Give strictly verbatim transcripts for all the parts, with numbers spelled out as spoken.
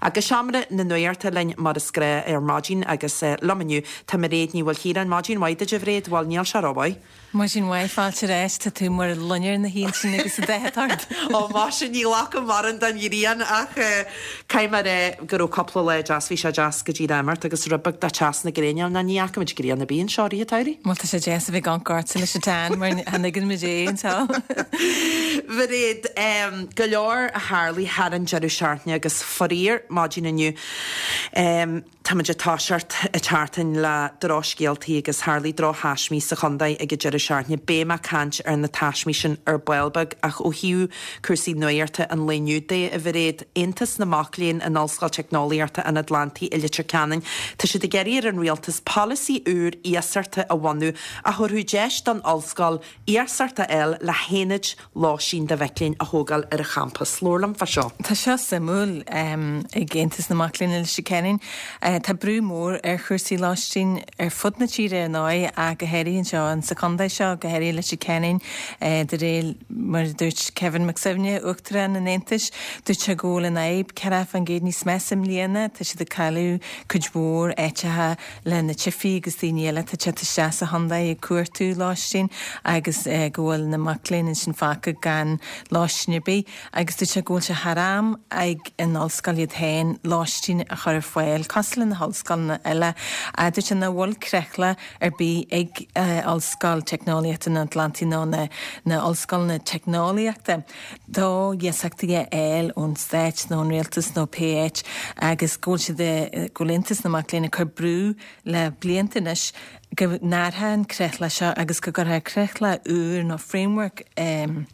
Agus seomra na nuachta linn mar is gnách ar maidin agus uh, liom inniu tá Mairéad Ní Mhaoilchiaráin maidin mhaith duit a Mhairéad bhfuil níl sé rómhaith. Maidin mhaith fáilte éis tá tú mar loinnir na hín sin agus a deitart. Ó má sin ní lá mar an den ghrian ach cai mar é go raibh cúpla lá deas bhí sé deas go dtí imeacht agus rubach da teas na gréine na ní fhaca muid grian a bíonn seo rí Má tá sé deas a bheith gan gart leis tan mar hannigan mu é an Mhairéad go leor a tharla thar an deireadh seachtaine agus faraor maidin inniu. Um, Táimid ag toiseacht an tseachtain le drochscéaltaí agus tharla drochthaismí sa chontae ag an deireadh seachtaine beidh mé ag caint ar na taismí sin ar ball beag ach ó thaobh cúrsaí nuachta an lae inniu de a Mhairéad Aontas na Mac Léinn in Ollscoil Teicneolaíochta an Atlantaigh i Leitir Ceanainn, Tá siad ag iarraidh ar an rialtas polasaí úr iasachta a bhunú a thabharfadh deis don ollscoil iasacht a fháil le haonaid lóistín do mhic léinn a thógáil ar a champas. Labhair liom fá seo. Tá seo suimiúil um, ag Aontas na Mac Léinn i Leitir Ceanainn. Uh, tá brú mór ar chúrsaí lóistín ar fud na tíre ar ndóigh a go háirithe anseo an sa chontae seo go háirithe Leitir Ceanainn uh, de réir mar dúirt Kevin McSevney uachtarán an Aontais dúirt sé go bhfuil an fhadhb ceathracha faoin gcéad níos measa i mbliana tá siad ag cailleadh cuid mhór áiteacha le na teifigh agus daoine eile tá te isteach sa chontae ag cuartú lóistín agus uh, go bhfuil na mic léinn sin fágtha gan lóistín ar bith agus dúirt sé go bhfuil sé thar am ag an ollscoil iad féin lóistín a chur ar fáil cosúil le na hollscoileanna eile a dúirt sé nach bhfuil creatlach ar bith ag uh, Ollscoil Teicneolaíochta an Atlantaigh nó na, na ollscoileanna teicneolaíochta. Do iasachtaí a fháil ón stát nó an rialtas nó pé áit agus go bhfuil siad go bhfuil Aontas na Mac Léinn ag cur brú le blianta anois go n-athrófaí an creatlach seo agus go gcuirfí creatlach úr nó framework um,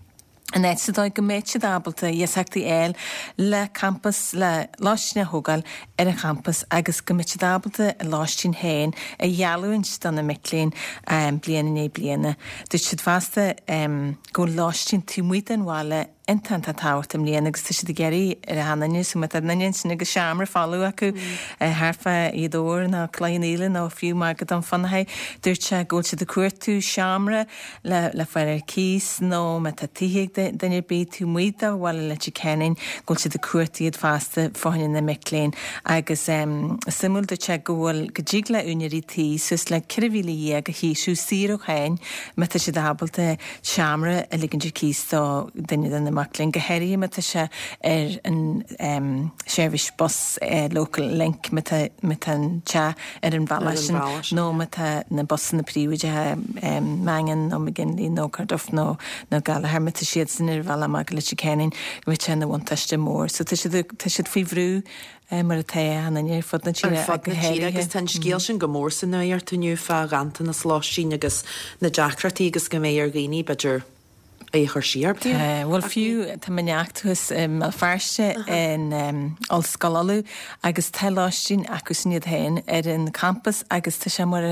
an áit sa dóigh go mbeidh siad ábalta iasachtaí a fháil le campas le lóistín a thógáil ar an champas agus go mbeidh siad ábalta a lóistín féin a gheallúint do na mic léinn um, bliain i ndiaidh bliana. Dúirt siad fosta um, go lóistín taobh amuigh den bhaile iontach tábhachtach i mbliana agus tá siad ag iarraidh ar achan duine so má tá duine sin agus seomra folamh acu thart fá Ghaoth Dobhair nó Cloich Cheann Fhaola nó fiú mar go Dún Fionnachaidh dúirt sé go bhfuil siad ag cuartú seomra le le fáil ar cíos nó má tá tithe ag duine ar bith taobh amuigh de bhaile Leitir Ceanainn go bhfuil siad ag cuartú iad fosta fá choinne na mic léinn agus um, suimiúil dúirt sé go bhfuil go dtig le úinéirí tí suas le ceithre mhíle dhéag a shaothrú saor ó cháin má tá siad ábalta seomra a ligint ar cíos do duine de na mic léinn go háirithe má tá sé ar an um, seirbhís bus uh, local link má tá an teach ar an bhealach sin nó má tá na busanna príobháideacha um, Mangan nó McGinley nó Carduff nó nó Gallagher má tá siad sin ar bhealach amach Leitir Ceanainn go bhfuil sé ina bhuntáiste mór, so tá siad faoi bhrú mar atá an ar fud na tíre agus tá scéal sin go mór san nuacht inniu fá ghanntanas lóistín agus na deacrachtaí agus go mbeidh ar dhaoine b'fhéidir é chur siar. Bhuel fiú tá neacht thuas Béal Feirste in Ollscoil Uladh agus tá lóistín acu sin iad féin ar an campas agus tá sé mar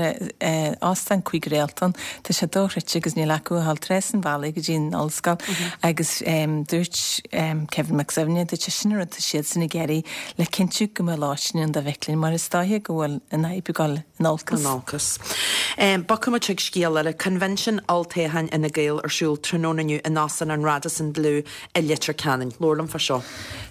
óstán cúig réaltán Tá sé dochreidte agus níl acu a dhul trasna an bhealaigh go dtí an ollscoil agus dúirt Kevin McSevney dúirt sé sin rud tá siad san ag iarraidh le cinntiú go mbeidh lóistín ann do mhic léinn mar is dóiche go bhfuil an fhadhb ag dul in olcas. In olcas. Bogfaidh muid chuig scéal eile Convention Olltoghcháin Fhine Gael ar siúl tráthnóna inniu in Óstán an Radisson Blu i Leitir Ceanainn. Labhair liom fá seo.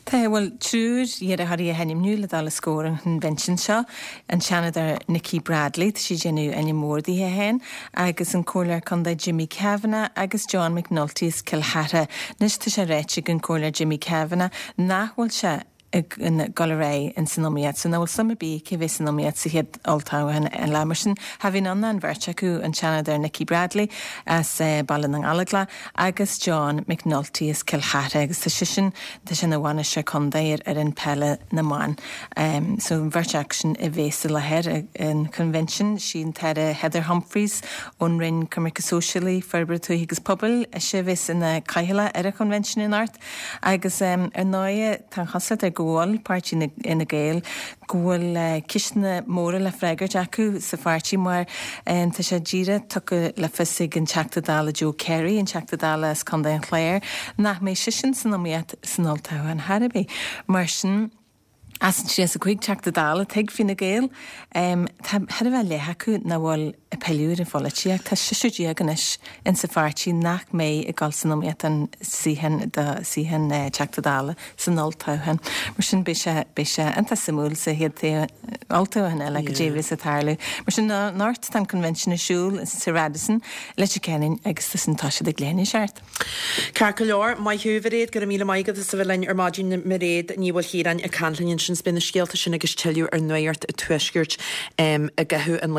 Tá bhfuil triúr iarrthóirí á n-ainmniú le dul os comhair an convention seo an Seanadóir Nikki Bradley tá sí ag déanamh ainm mór di féin agus an Comhairleoir Contae Jimmy Kavanagh agus John McNulty as Cill Chartha. Anois tá sé ráite ag an Comhairleoir Jimmy Kavanagh nach bhfuil sé ag dul ar aghaidh in san iomaíocht, so nach bhfuil suim ar bith aici bheith san iomaíocht sa chéad olltoghchán eile mar sin cha bhíonn ann an bheirt acu an Seanadóir Nikki Bradley as uh, Baile na nGallóglach agus John McNulty as Cill Chartha agus tá sin tá sin ina bhainisteoir contae ar ar an peile na mban. Um, so an bheirt acu sin a bheas i láthair an convention sí an tAire Heather Humphreys ón Roinn Coimirce Sóisialaí Forbartha Tuaithe agus Pobail a sé bheas ina cathaoirleach ar an convention anocht agus um, ar ndóigh tá chosúlacht ar go bhfuil páirtí Fhine Gael go bhfuil uh, ceisteanna móra le freagairt acu sa pháirtí mar um, tá sé díreach tugtha le fios ag an Teachta Dála Joe Carey an Teachta Dála as Contae an Chláir nach mbeidh seisean san iomaíocht san olltoghchán ar bith. Mar sin as an tríocha a cúig Teachta Dála ag Fine Gael um, tá thar a bheith leath acu nach bhfuil ag pilleadh ar an pholaitíocht. Tá seisear déag anois insa pháirtí nach mbeidh ag dul san iomaíocht don suíochán do suíochán Teachta Dála san olltoghchán. Mar sin beidh sé beidh sé iontach suimiúil sa chéad olltoghchán eile goidé a bheas ag tarlú. Mar sin anocht tá an convention ar siúl sa Radisson, Leitir Ceanainn agus tá siad ag leathan a seacht. Ceart go leor, maith thú Mhairéad, go raibh míle maith agat as a bheith linn ar maidin Mairéad Ní Mhaoilchiaráin ag caint linn ansin 's beidh na scéalta sin agus tuilleadh ar Nuacht an Tuaiscirt i gcaitheamh an lae.